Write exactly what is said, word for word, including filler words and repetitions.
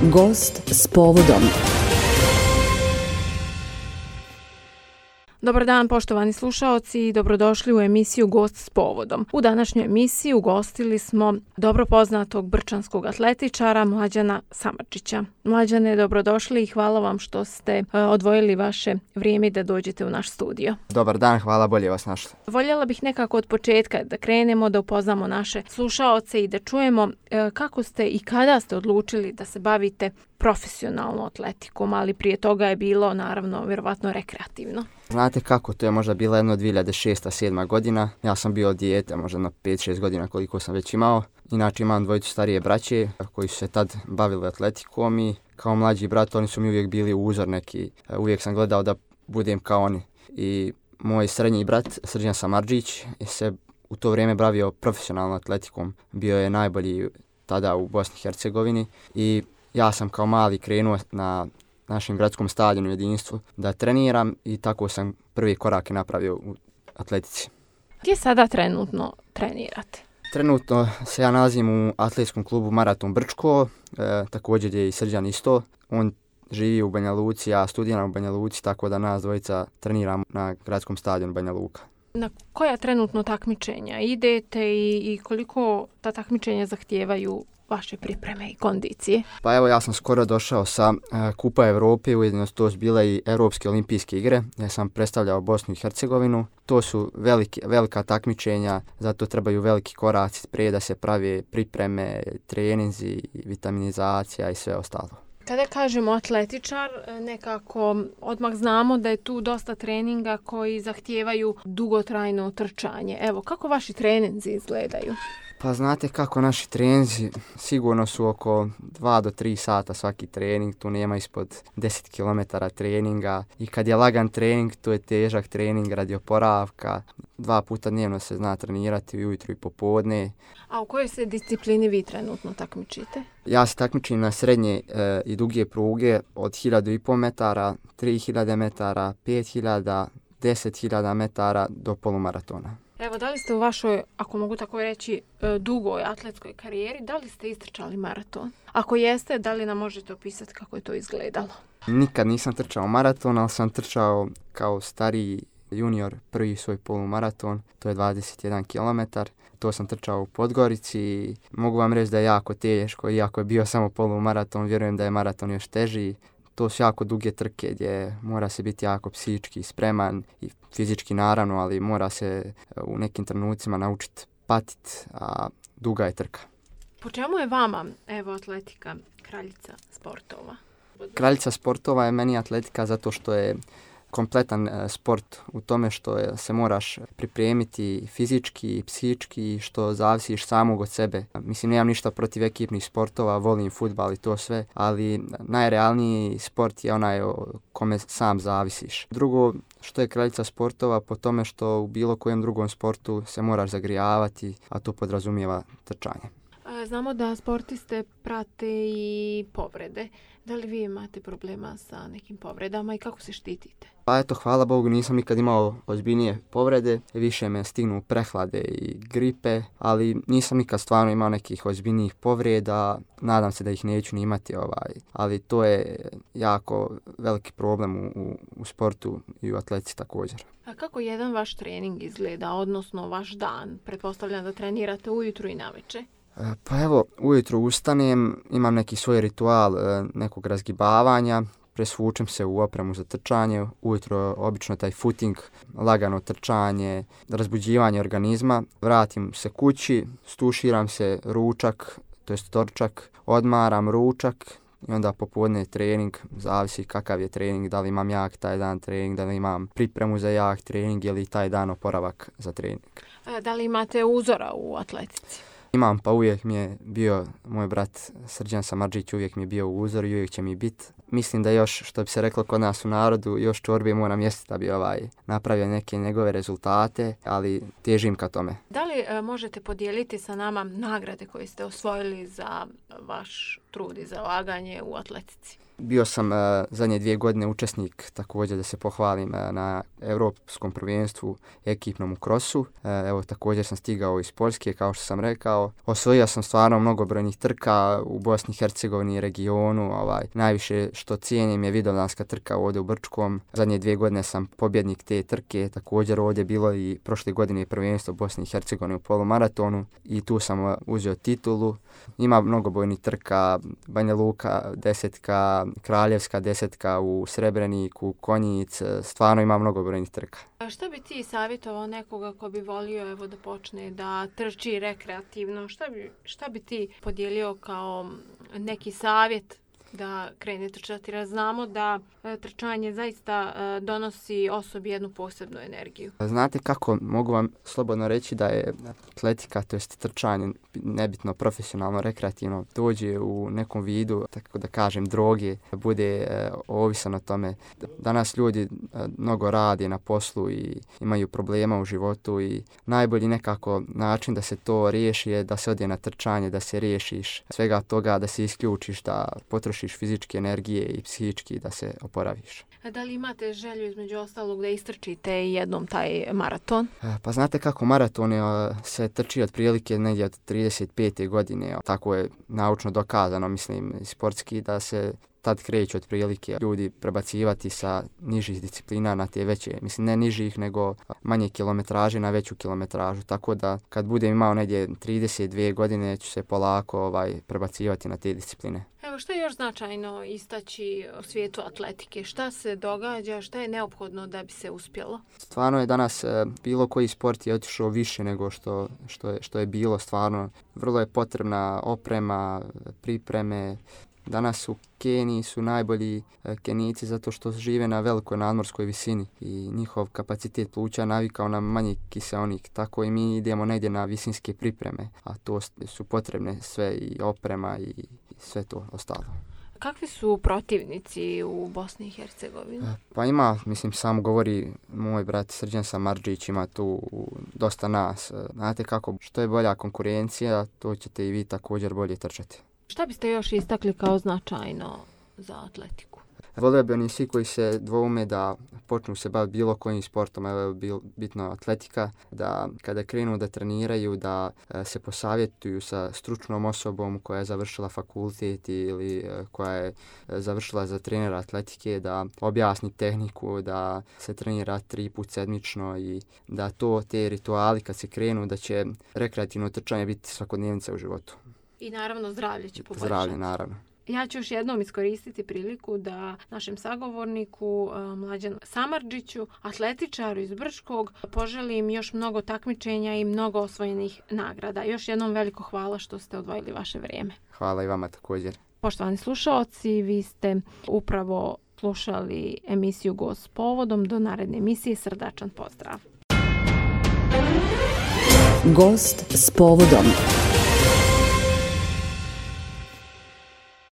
Gost s povodom. Dobar dan, poštovani slušaoci, i dobrodošli u emisiju Gost s povodom. U današnjoj emisiji ugostili smo dobro poznatog brčanskog atletičara Mlađana Samardžića. Mlađane, dobrodošli i hvala vam što ste uh, odvojili vaše vrijeme da dođete u naš studio. Dobar dan, hvala, bolje vas našli. Voljela bih nekako od početka da krenemo, da upoznamo naše slušaoce i da čujemo uh, kako ste i kada ste odlučili da se bavite profesionalno atletikom, ali prije toga je bilo, naravno, vjerovatno rekreativno. Znate kako, to je možda bila jedno dvije hiljade šesta sedma godina. Ja sam bio dijete, možda na pet šest godina koliko sam već imao. Inače imam dvojicu starije braće koji su se tad bavili atletikom i kao mlađi brat oni su mi uvijek bili uzor neki. Uvijek sam gledao da budem kao oni. I moj srednji brat, Srđan Samardžić, je se u to vrijeme bavio profesionalnom atletikom. Bio je najbolji tada u Bosni i Hercegovini i ja sam kao mali krenuo na našem gradskom stadionu Jedinstvu da treniram i tako sam prvi korake napravio u atletici. Gdje sada trenutno trenirate? Trenutno se ja nalazim u atletskom klubu Maraton Brčko, e, također je i Srđan isto. On živi u Banja Luci, ja studiram u Banja Luci, tako da nas dvojica treniramo na gradskom stadionu Banja Luka. Na koja trenutno takmičenja idete i, i koliko ta takmičenja zahtijevaju vaše pripreme i kondicije? Pa evo, ja sam skoro došao sa uh, Kupa Evrope, ujedno to su bile i Europske olimpijske igre, ja sam predstavljao Bosnu i Hercegovinu. To su velike, velika takmičenja, zato trebaju veliki koraci prije da se prave pripreme, treninzi, vitaminizacija i sve ostalo. Kada kažemo atletičar, nekako odmah znamo da je tu dosta treninga koji zahtijevaju dugotrajno trčanje. Evo, kako vaši treninzi izgledaju? Pa znate kako, naši treninzi sigurno su oko dva do tri sata svaki trening, tu nema ispod deset kilometara treninga i kad je lagan trening, to je težak trening radi oporavka. Dva puta dnevno se zna trenirati, ujutro i popodne. A u kojoj se disciplini vi trenutno takmičite? Ja se takmičim na srednje e, i duge pruge od hiljadu i pol metara, tri hiljade metara, pet hiljada, deset hiljada metara do polumaratona. Evo, da li ste u vašoj, ako mogu tako reći, dugoj atletskoj karijeri, da li ste istrčali maraton? Ako jeste, da li nam možete opisati kako je to izgledalo? Nikad nisam trčao maraton, ali sam trčao kao stariji junior prvi svoj polumaraton, to je dvadeset jedan kilometar. To sam trčao u Podgorici i mogu vam reći da je jako teško, iako je bio samo polumaraton, vjerujem da je maraton još teži. To su jako duge trke gdje mora se biti jako psihički spreman i fizički naravno, ali mora se u nekim trenucima naučiti patiti, a duga je trka. Po čemu je vama, evo, atletika kraljica sportova? Kraljica sportova je meni atletika zato što je kompletan sport u tome što je, se moraš pripremiti fizički i psihički, što zavisiš samog od sebe. Mislim, nemam ništa protiv ekipnih sportova, volim fudbal i to sve, ali najrealniji sport je onaj o kome sam zavisiš. Drugo, što je kraljica sportova, po tome što u bilo kojem drugom sportu se moraš zagrijavati, a to podrazumijeva trčanje. Znamo da sportiste prate i povrede. Da li vi imate problema sa nekim povredama i kako se štitite? Pa eto, hvala Bogu, nisam nikad imao ozbiljnije povrede. Više me stignu prehlade i gripe, ali nisam nikad stvarno imao nekih ozbiljnijih povreda. Nadam se da ih neću ni imati, ovaj. Ali to je jako veliki problem u, u, u sportu i u atletici također. A kako jedan vaš trening izgleda, odnosno vaš dan? Pretpostavljam da trenirate ujutru i navečer. Pa evo, ujutro ustanem, imam neki svoj ritual nekog razgibavanja, presvučem se u opremu za trčanje, ujutro obično taj footing, lagano trčanje, razbuđivanje organizma, vratim se kući, stuširam se, ručak, to jest doručak, odmaram ručak i onda popodne trening, zavisi kakav je trening, da li imam jak taj dan trening, da li imam pripremu za jak trening ili taj dan oporavak za trening. Da li imate uzora u atletici? Imam, pa uvijek mi je bio moj brat Srđan Samardžić, uvijek mi je bio uzor i uvijek će mi biti. Mislim da još, što bi se reklo kod nas u narodu, još čorbe moram jesti da bi ovaj, napravio neke njegove rezultate, ali težim ka tome. Da li e, možete podijeliti sa nama nagrade koje ste osvojili za vaš trud i zalaganje u atletici? Bio sam uh, zadnje dvije godine učesnik, također da se pohvalim, uh, na Europskom prvenstvu ekipnom u krosu. Uh, evo, također sam stigao iz Poljske, kao što sam rekao. Osvojio sam stvarno mnogobrojnih trka u Bosni i Hercegovini i regionu. Ovaj, najviše što cijenim je vidovdanska trka ovdje u Brčkom. Zadnje dvije godine sam pobjednik te trke. Također ovdje bilo i prošle godine prvenstvo Bosni i Hercegovine u polumaratonu i tu sam uh, uzeo titulu. Ima mnogobrojnih trka, Banja Luka desetka, Kraljevska desetka u Srebreniku, Konjic, stvarno ima mnogobrojnih trka. A šta bi ti savjetovao nekoga ko bi volio evo da počne da trči rekreativno? Šta bi, šta bi ti podijelio kao neki savjet da krene trčati? Jer znamo da e, trčanje zaista e, donosi osobi jednu posebnu energiju. Znate kako, mogu vam slobodno reći da je atletika, to jest trčanje, nebitno profesionalno, rekreativno, dođe u nekom vidu, tako da kažem, droge, bude e, ovisan o tome. Danas ljudi e, mnogo rade na poslu i imaju problema u životu i najbolji nekako način da se to riješi je da se ode na trčanje, da se riješiš svega toga, da se isključiš, da potrošiš fizičke energije i psihički, da se oporaviš. A da li imate želju između ostalog da istrčite jednom taj maraton? Pa znate kako, maraton je, se trči otprilike negdje od trideset pete godine. Tako je naučno dokazano, mislim, sportski, da se tad kreću otprilike ljudi prebacivati sa nižih disciplina na te veće, mislim ne nižih nego manje kilometraže na veću kilometražu, tako da kad budem imao negdje trideset dvije godine ću se polako ovaj, prebacivati na te discipline. Evo, što je još značajno istaći u svijetu atletike? Šta se događa, šta je neophodno da bi se uspjelo? Stvarno je danas bilo koji sport je otišao više nego što, što, je, što je bilo stvarno. Vrlo je potrebna oprema, pripreme. Danas u Keniji su najbolji Kenijci zato što žive na velikoj nadmorskoj visini i njihov kapacitet pluća navikao na manji kiseonik. Tako i mi idemo negdje na visinske pripreme, a to su potrebne sve i oprema i sve to ostalo. Kakvi su protivnici u Bosni i Hercegovini? Pa ima, mislim, samo govori moj brat Srđan Samardžić, ima tu dosta nas. Znate kako, što je bolja konkurencija, to ćete i vi također bolje trčati. Šta biste još istakli kao značajno za atletiku? Volio bi oni svi koji se dvoume da počnu se baviti bilo kojim sportom, evo je bil, bitno atletika, da kada krenu da treniraju, da e, se posavjetuju sa stručnom osobom koja je završila fakultet ili e, koja je e, završila za trenera atletike, da objasni tehniku, da se trenira tri put sedmično i da to, te rituali kad se krenu, da će rekreativno trčanje biti svakodnevnica u životu. I naravno zdravlje će poboljšati. Zdravlje, naravno. Ja ću još jednom iskoristiti priliku da našem sagovorniku Mlađanu Samardžiću, atletičaru iz Brčkog, poželim još mnogo takmičenja i mnogo osvojenih nagrada. Još jednom veliko hvala što ste odvojili vaše vrijeme. Hvala i vama također. Poštovani slušaoci, vi ste upravo slušali emisiju Gost s povodom. Do naredne emisije srdačan pozdrav. Gost s povodom.